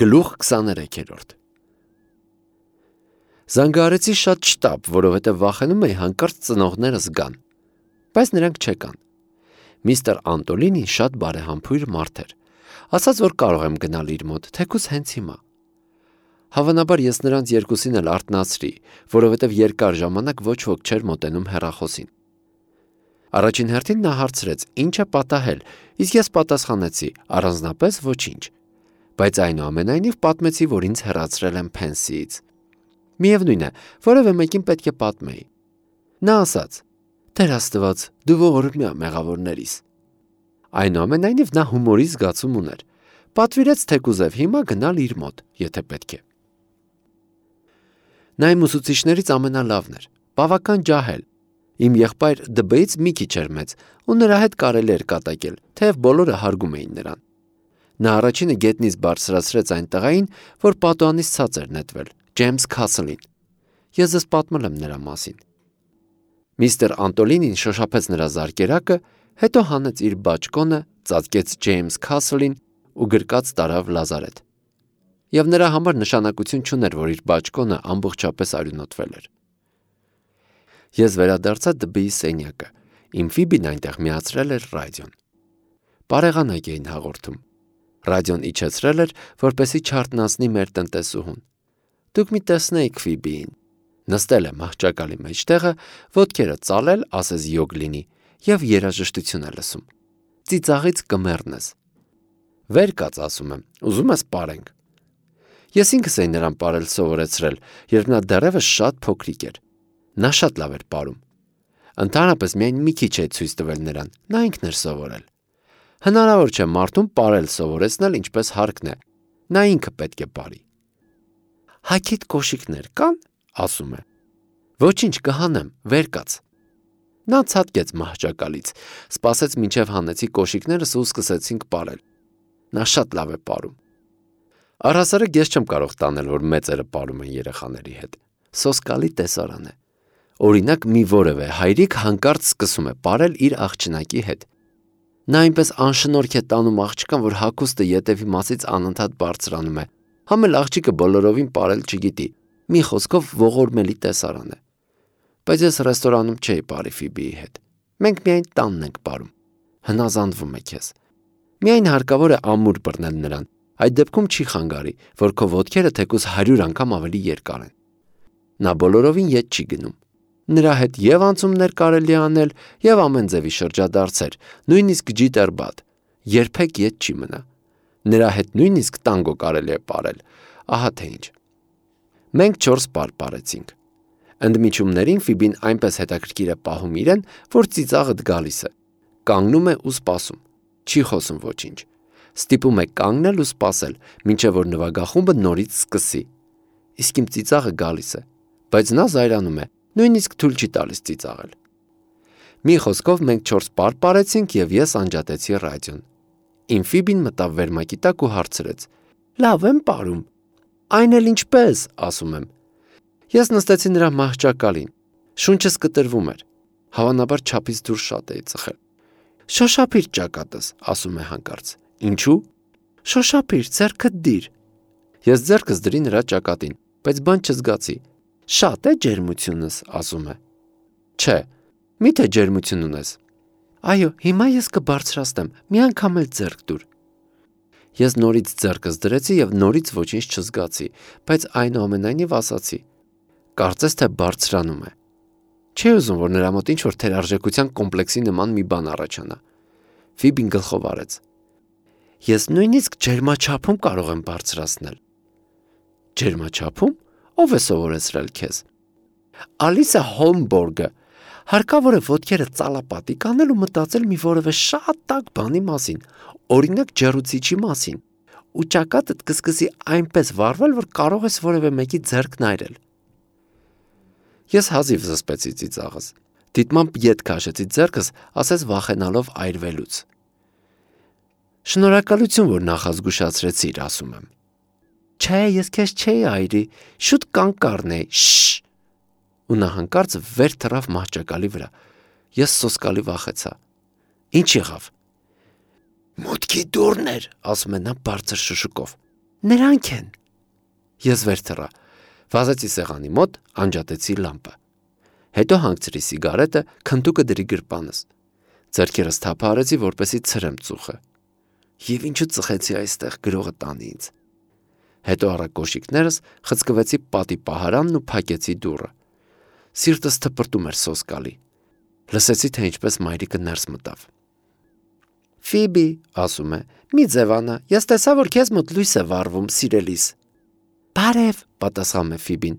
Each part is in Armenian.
Գլուխ 23-րդ Զանգահարեցի շատ շտապ, որովհետև վախենում էի հանկարծ ծնողներս գան, բայց նրանք չեկան։ Միստր Անտոլինին շատ բարեհամբույր մարդ էր, ասաց, որ կարող եմ գնալ իր մոտ, թեկուզ հենց հիմա։ Հավանաբար ես նրանց երկուսին էլ արթնացրի, որովհետև երկար ժամանակ ոչ ոք չէր մոտենում հեռախոսին։ Առաջին հերթին նա հարցրեց, ինչ է պատահել, իսկ ես պատասխանեցի, առանձնապես ոչինչ, բայց այնուամենայնիվ պատմեցի, որ ինձ հեռացրել են փենսիից։ Միևնույն է, որևէ մեկին պետք է պատմեի։ Նա ասաց. «Տեր Աստված, դու ողորմյա մեղավորներիս»։ Այնուամենայնիվ նա հումորի զգացում ուներ։ Պատվիրեց թեկուզև հիմա գնալ իր մոտ, եթե պետք է։ Նա իմ ուսուցիչներից ամենալավն էր, բավական ջահել։ Իմ եղբայր ԴԲ-ից մի քիչ էր մեծ, ու նրա հետ կարելի էր կատակել, թեև բոլորը հարգում էին նրան։ Նա առաջինը գետնից բարձրացրեց այն տղային, որ պատուհանից ցած էր նետվել, Ջեյմս Քասլին։ Ես ձեզ պատմել եմ նրա մասին։ Միստր Անտոլինին շոշափեց նրա զարկերակը, հետո հանեց իր բաճկոնը, ծածկեց Ջեյմս Քասլին ու գրկած տարավ լազարեթ։ Եվ նրա համար նշանակություն չուներ, որ իր բաճկոնը ամբողջապես արյունոտվել էր։ Ես վերադարձա ԴԲ-ի սենյակը, իմ Ֆիբին այնտեղ միացրել էր ռադիոն։ Բարեղանակ էին հաղորդում։ Ռադիոն իջեցրել էր, որպեսզի չարթնացնի մեր տնտեսուհուն։ Դուք մի տեսնեիք Ֆիբիին։ Նստել է մահճակալի մեջտեղը, ոտքերը ծալել, ասես յոգ լինի, եւ երաժշտություն է լսում։ Ծիծաղից կմեռն ես։ Վեր կաց, ասում եմ, ուզում ես պարենք։ Ես ինքս էի նրան պարել սովորեցրել, երբ նա դեռևս շատ փոքրիկ էր։ Նա շատ լավ էր պարում։ Ընդհանրապես միայն մի քիչ է ցույց տվել նրան, նա ինքն էր սովորել։ Հնարավոր չէ մարդուն պարել սովորեցնել ինչպես հարկն է, նա ինքը պետք է պարի։ Հագիդ կոշիկներ կան, ասում է։ Ոչինչ, կհանեմ, վեր կաց։ Նա ցատկեց մահճակալից, սպասեց մինչև հանեցի կոշիկներս ու սկսեցինք պարել։ Նա շատ լավ է պարում։ Առհասարակ ես չեմ կարող տանել, որ մեծերը պարում են երեխաների հետ։ Սոսկալի տեսարան է։ Օրինակ մի որևէ հայրիկ հանկարծ սկսում է պարել իր աղջնակի հետ։ Նա այնպես անշնորհք է տանում աղջկան, որ հագուստը ետևի մասից անընդհատ բարձրանում է։ Համ էլ աղջիկը բոլորովին պարել չգիտի։ Մի խոսքով ողորմելի տեսարան է։ Բայց ես ռեստորանում չէի պարի Ֆիբիի հետ։ Մենք միայն տանն ենք պարում։ Հնազանդվում է քեզ։ Միայն հարկավոր է ամուր բռնել նրան։ Այդ դեպքում չի խանգարի, որ քո ոտքերը թեկուզ 100 անգամ ավելի երկար են։ Նա բոլորովին ետ չի գնում։ Նրա հետ եւ անցումներ կարելի անել, եւ ամեն ձևի շրջադարձեր, նույնիսկ ջիտերբատ, երբեք ետ չի մնա։ Նրա հետ նույնիսկ տանգո կարելի է պարել, ահա թե ինչ։ Մենք 4 պար պարեցինք։ Ընդմիջումներին Ֆիբին այնպես հետաքրքիր է պահում իրեն, որ ծիծաղդ գալիս է։ Կանգնում է ու սպասում, չի խոսում ոչինչ։ Ստիպում է կանգնել ու սպասել, մինչև որ նվագախումբը նորից սկսի։ Իսկ իմ ծիծաղը գալիս է, բայց նա զայրանում է, նույնիսկ թույլ չի տալիս ծիծաղել։ Մի խոսքով մենք 4 պար պարեցինք եւ ես անջատեցի ռադիոն։ Իմ Ֆիբին մտավ վերմակի տակ ու հարցրեց. Լավ եմ պարում։ Այն էլ ինչպես, ասում եմ։ Ես նստեցի նրա մահճակալին։ Շունչս կտրվում էր։ Հավանաբար չափից դուրս շատ էի ծխել։ Շոշափիր ճակատս, ասում է հանկարծ։ Ինչու։ Շոշափիր, ձեռքդ դիր։ Ես ձեռքս դրի նրա ճակատին, բայց բան չզգացի։ Շատ է ջերմությունս, ասում է։ Չէ, միթե ջերմություն ունես։ Այո, հիմա ես կբարձրացնեմ, մի անգամ էլ ձեռք դուր։ Ես նորից ձեռքս դրեցի եւ նորից ոչինչ չզգացի, բայց այնուամենայնիվ ասացի. Կարծես թե բարձրանում է։ Չէ ուզում, որ նրա մոտ ինչ-որ թերարժեքության կոմպլեքսի նման մի բան առաջանա։ Ֆիբին գլխով արեց։ Ես նույնիսկ ջերմաչափում կարող եմ բարձրացնել։ Ջերմաչափում։ Ով է սովորեցրել քեզ։ Ալիսա Հոլմբորգը։ Հարկավոր է ոտքերը ծալապատիկ անել ու մտածել մի որևէ շատ տաք բանի մասին, օրինակ ջեռուցիչի մասին, ու ճակատդ կսկսի այնպես վառվել, որ կարող ես որևէ մեկի ձեռքն այրել։ Ես հազիվ զսպեցի ծիծաղս։ Դիտմամբ ետ քաշեցի ձեռքս, ասես վախենալով այրվելուց։ Շնորհակալություն, որ նախազգուշացրեցիր, ասում եմ։ Չէ, ես քեզ չէի այրի, շուտ կանգ առնեի, շշ։ Ու նա հանկարծ վեր թռավ մահճակալի վրա։ Ես սոսկալի վախեցա։ Ինչ եղավ։ Մուտքի դուռն էր, ասում է նա բարձր շշուկով։ Նրանք են։ Ես վեր թռա, վազեցի սեղանի մոտ, անջատեցի լամպը։ Հետո հանգցրի սիգարետը, քնտուկը դրի գրպանս։ Ձեռքերս թափ արեցի, որպեսզի ցրեմ ծուխը։ Եվ ինչու ծխեցի այստեղ, գրողը տանի ինձ։ Հետո առա կոշիկներս, խցկվեցի պատի պահարանն ու փակեցի դուռը։ Սիրտս թպրտում էր սոսկալի։ Լսեցի, թե ինչպես մայրիկը ներս մտավ։ Ֆիբի, ասում է, մի ձևանա, ես տեսա, որ քեզ մոտ լույս է վառվում, սիրելիս։ Բարև, պատասխանում է Ֆիբին։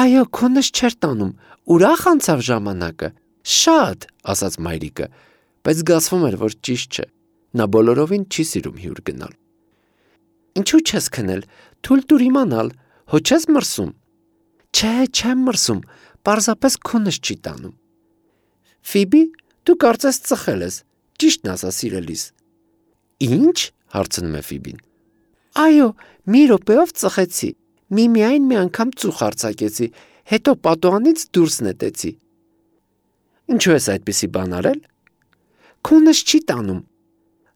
Այո, քոնս չէր տանում, ուրախ անցավ ժամանակը։ Շատ, ասաց մայրիկը, բայց զգացվում էր, որ ճիշտ չէ։ Նա բոլորովին չի սիրում հյուր գնալ։ Ինչու չես քնել, թույլ տուր իմանալ, հո չես մրսում։ Չէ, չեմ մրսում, պարզապես քոնս չի տանում։ Ֆիբի, դու կարծես ծխել ես, ճիշտն ասա սիրելիս։ Ինչ, հարցնում է Ֆիբին։ Այո, մի րոպեով ծխեցի, միայն մի անգամ ծուխ արձակեցի, հետո պատուհանից դուրս նետեցի։ Ինչու ես այդպիսի բան արել։ Քոնս չի տանում։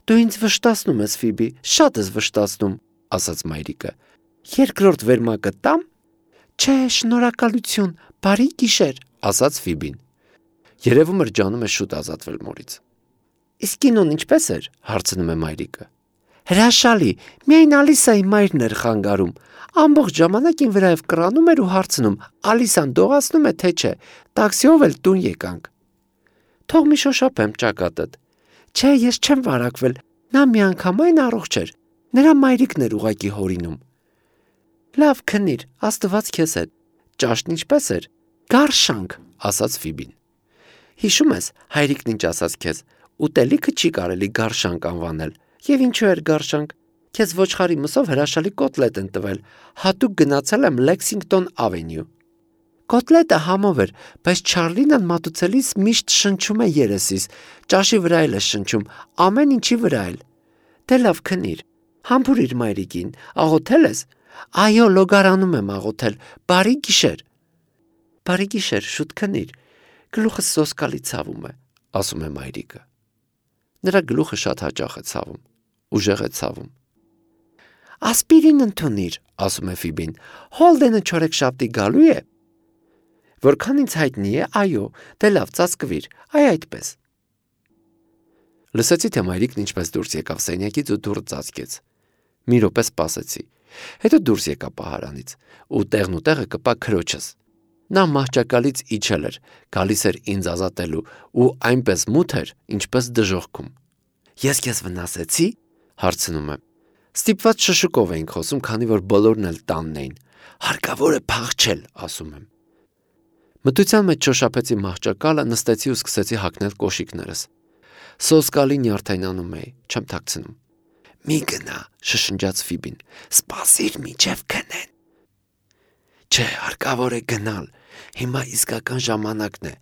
Դու ինձ վշտացնում ես, Ֆիբի, շատ ես վշտացնում, ասաց մայրիկը։ Երկրորդ վերմակը տամ։ Չէ, շնորհակալություն, բարի գիշեր, ասաց Ֆիբին։ Երևում էր ջանում է շուտ ազատվել մորից։ Իսկ կինոն ինչպես էր, հարցնում է մայրիկը։ Հրաշալի, միայն Ալիսայի մայրն էր խանգարում։ Ամբողջ ժամանակ ին վրայով կռանում էր ու հարցնում, Ալիսան դողացնում է թե չէ, տաքսիով էլ տուն եկանք։ Թող մի շոշափեմ ճակատդ։ Չէ, ես չեմ վարակվել, նա միանգամայն առողջ էր, նրա մայրիկն էր ուղակի հորինում։ Լավ քնիր, Աստված քեզ հետ։ Ճաշն ինչպես էր։ Գարշանք, ասաց Ֆիբին։ Հիշում ես, հայրիկն ինչ ասաց քեզ, ուտելիքը չի կարելի գարշանք անվանել։ Եվ ինչու էր գարշանք։ Քեզ ոչխարի մսով հրաշալի կոտլետ են տվել, հատուկ գնացել եմ Lexington Avenue։ Կոտլետը համով էր, բայց Չարլինն մատուցելիս միշտ շնչում է երեսիս, ճաշի վրա էլ է շնչում, ամեն ինչի վրա էլ։ Դե լավ քնիր, համբուրիր մայրիկին, աղոթել ես։ Այո, լոգարանում եմ աղոթել, բարի գիշեր։ Բարի գիշեր, շուտ քնիր, գլուխը սոսկալի ցավում է, ասում է մայրիկը։ Նրա գլուխը շատ հաճախ է ցավում, ուժեղ է ցավում։ Ասպիրին ընդունիր, ասում է Ֆիբին, Հոլդենը չորեքշաբթի գալու է։ Որքան ինձ հայտնի է, այո, դե լավ, ծածկվիր, այդպես։ Լսեցի, թե մայրիկն ինչպես դուրս եկավ սենյակից ու դուռը ծածկեց։ Մի րոպե սպասեցի։ Հետո դուրս եկա պահարանից ու տեղն ու տեղը կպա քրոջս։ Նա մահճակալից իջել էր, գալիս էր ինձ ազատելու ու այնպես մութ էր, ինչպես դժոխքում։ Ես քեզ վնասեցի, հարցնում եմ։ Ստիպված շշուկով էինք խոսում, քանի որ բոլորն էլ տանն էին։ Հարկավոր է փախչել, ասում եմ։ Մտության մեջ շոշափեցի մահճակալը, նստեցի ու սկսեցի հագնել կոշիկներս։ Սոսկալի նյարդայնանում էի, չեմ թաքցնում։ Մի գնա, շշնջաց Ֆիբին, սպասիր մինչև քնեն։ Չէ, հարկավոր է գնալ, հիմա իսկական ժամանակն է,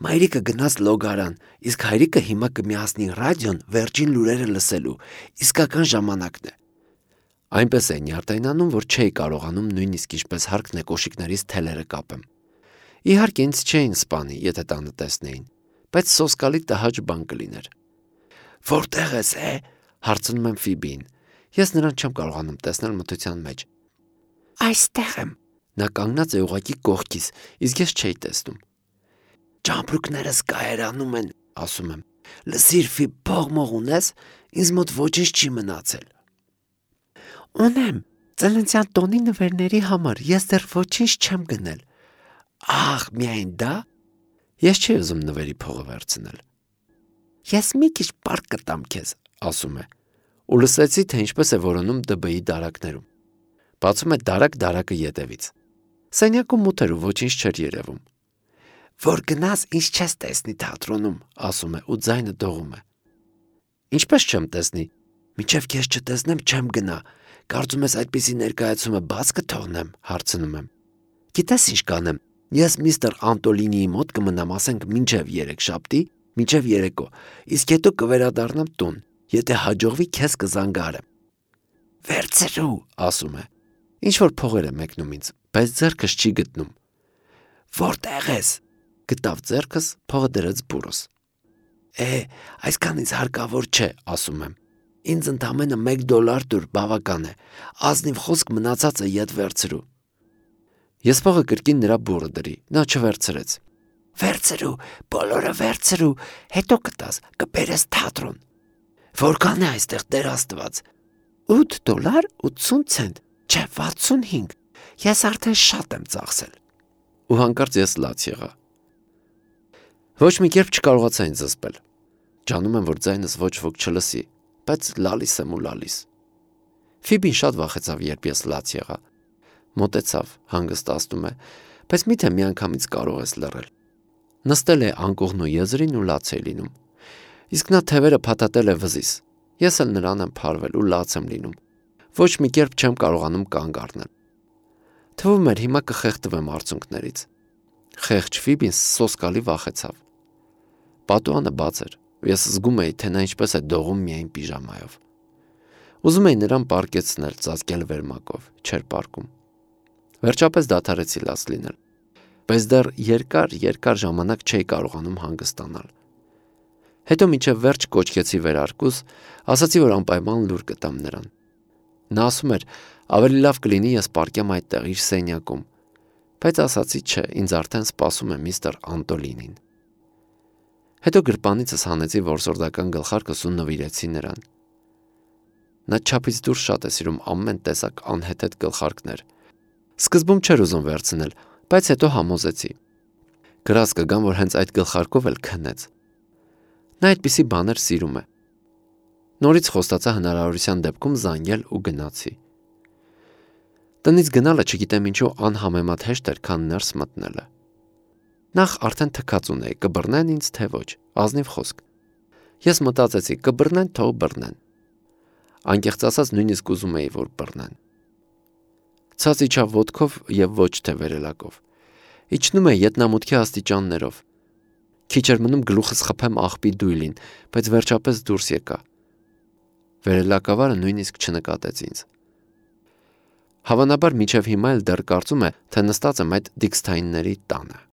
մայրիկը գնաց լոգարան, իսկ հայրիկը հիմա կմիացնի ռադիոն վերջին լուրերը լսելու, իսկական ժամանակն է։ Այնպես է նյարդայնանում, որ չէի կարողանում նույնիսկ ինչպես հարկն է կոշիկներից թելերը կապեմ։ Իհարկե ինձ չէին սպանի, եթե տանը տեսնեին, բայց սոսկալի տհաճ բան կլիներ։ Որտեղ ես, հարցնում եմ Ֆիբին։ Ես նրան չեմ կարողանում տեսնել մթության մեջ։ Այստեղ եմ։ Նա կանգնած է ուղղակի կողքիս, իսկ ես չէի տեսնում։ Ճամպրուկներս կայարանում են, ասում եմ։ Լսիր, Ֆիբ, փող ունես, ինձ մոտ ոչինչ չի մնացել։ Ունեմ, ծննդյան տոնի նվերների համար, ես դեռ ոչինչ չեմ գնել։ Ահ, միայն դա։ Ես չի ուզում նվերի փողը վերցնել։ Ես մի քիչ պարկ կտամ քեզ, ասում է։ Ու լսեցի, թե ինչպես է որոնում ԴԲ-ի դարակներում։ Բացում է դարակը ետևից։ Սենյակում մութ էր ու ոչինչ չէր երևում։ Որ գնաս, ինչ չես տեսնի թատրոնում, ասում է ու ձայնը դողում է։ Ինչպես չեմ տեսնի։ Մինչև քեզ չտեսնեմ, չեմ գնա։ Կարծում ես այդպիսի ներկայացումը բաց կթողնեմ, հարցնում եմ։ Գիտես ինչ կանեմ։ Ես միստր Անտոլինիի մոտ կմնամ, ասենք մինչև երեքշաբթի, մինչև երեկո, իսկ հետո կվերադառնամ տուն, եթե հաջողվի քեզ կզանգարեմ։ Վերցրու, ասում է։ Ինչ որ փողեր է մեկնում ինձ, բայց ձեռքս չի գտնում։ Որտեղ ես։ Գտավ ձեռքս, փողը դրեց բուրս։ Այսքան ինձ հարկավոր չէ, ասում եմ։ Ինձ ընդամենը $1 տուր, բավական է, ազնիվ խոսք մնացածը ետ վերցրու։ Ես փողը կրկին նրա բուրը դրի, նա չվերցրեց։ Վերցրու, բոլորը վերցրու, հետո կտաս, կբերես թատրոն։ Որքան է այստեղ Տեր Աստված։ $8.80, չէ, 65, ես արդեն շատ եմ ծախսել։ Ու հանկարծ ես լաց եղա։ Ոչ մի կերպ չկարողացա ինձ զսպել։ Ջանում եմ, որ ձայնս ոչ ոք չլսի, բայց լալիս եմ ու լալիս։ Ֆիբին շատ վախեցավ, երբ ես լաց եղա։ Մոտեցավ, հանգստացնում է, բայց միթե միանգամից կարող ես լռել։ Նստել է անկողնու եզրին ու լաց է լինում։ Իսկ նա թևերը փաթաթել է վզիս։ Ես էլ նրան եմ փարվել ու լաց եմ լինում։ Ոչ մի կերպ չեմ կարողանում կանգ առնել։ Թվում էր հիմա կխեղդվեմ արցունքներից։ Խեղճ Ֆիբին սոսկալի վախեցավ։ Պատուհանը բաց էր։ Ես զգում էի, թե նա ինչպես է դողում միայն պիժամայով։ Ուզում էի նրան պարկեցնել, ծածկել վերմակով, չէր պարկում։ Վերջապես դադարեցի լաց լինել, բայց դեռ երկար ժամանակ չէի կարողանում հանգստանալ։ Հետո մինչև վերջ կոչկեցի վերարկուս, ասացի, որ անպայման լուր կտամ նրան։ Նա ասում էր, ավելի լավ կլինի ես պարկեմ այդտեղ իր սենյակում, բայց ասացի չէ, ինձ արդեն սպասում է միստր Անտոլինին։ Հետո գրպանիցս հանեցի որսորդական գլխարկս ու նվիրեցի նրան։ Նա չափից դուրս շատ է սիրում ամեն տեսակ անհեթեթ գլխարկներ։ Սկզբում չէր ուզում վերցնել, բայց հետո համոզեցի։ Գրած կգամ, որ հենց այդ գլխարկով էլ քնեց։ Նա այդպիսի բաներ սիրում է։ Նորից խոստացա հնարավորության դեպքում զանգել ու գնացի։ Տնից գնալը չգիտեմ ինչու անհամեմատ հեշտ էր, քան ներս մտնելը։ Նախ արդեն թքած ունեի, կբռնեն ինձ թե ոչ, ազնիվ խոսք։ Ես մտածեցի, կբռնեն, թող բռնեն։ Անկեղծ ասած նույնիսկ ուզում էի, որ բռնեն։ Ցած իջավ ոտքով եւ ոչ թե վերելակով։ Իջնում է ետնամուտքի աստիճաններով։ Քիչ էր մնում գլուխս խփեմ աղբի դույլին, բայց վերջապես դուրս եկա։ Վերելակավարը նույնիսկ չնկատեց ինձ։ Հավանաբար մինչև հիմա էլ դեռ կարծում է, թե նստած եմ այդ դիքսթայինների տանը։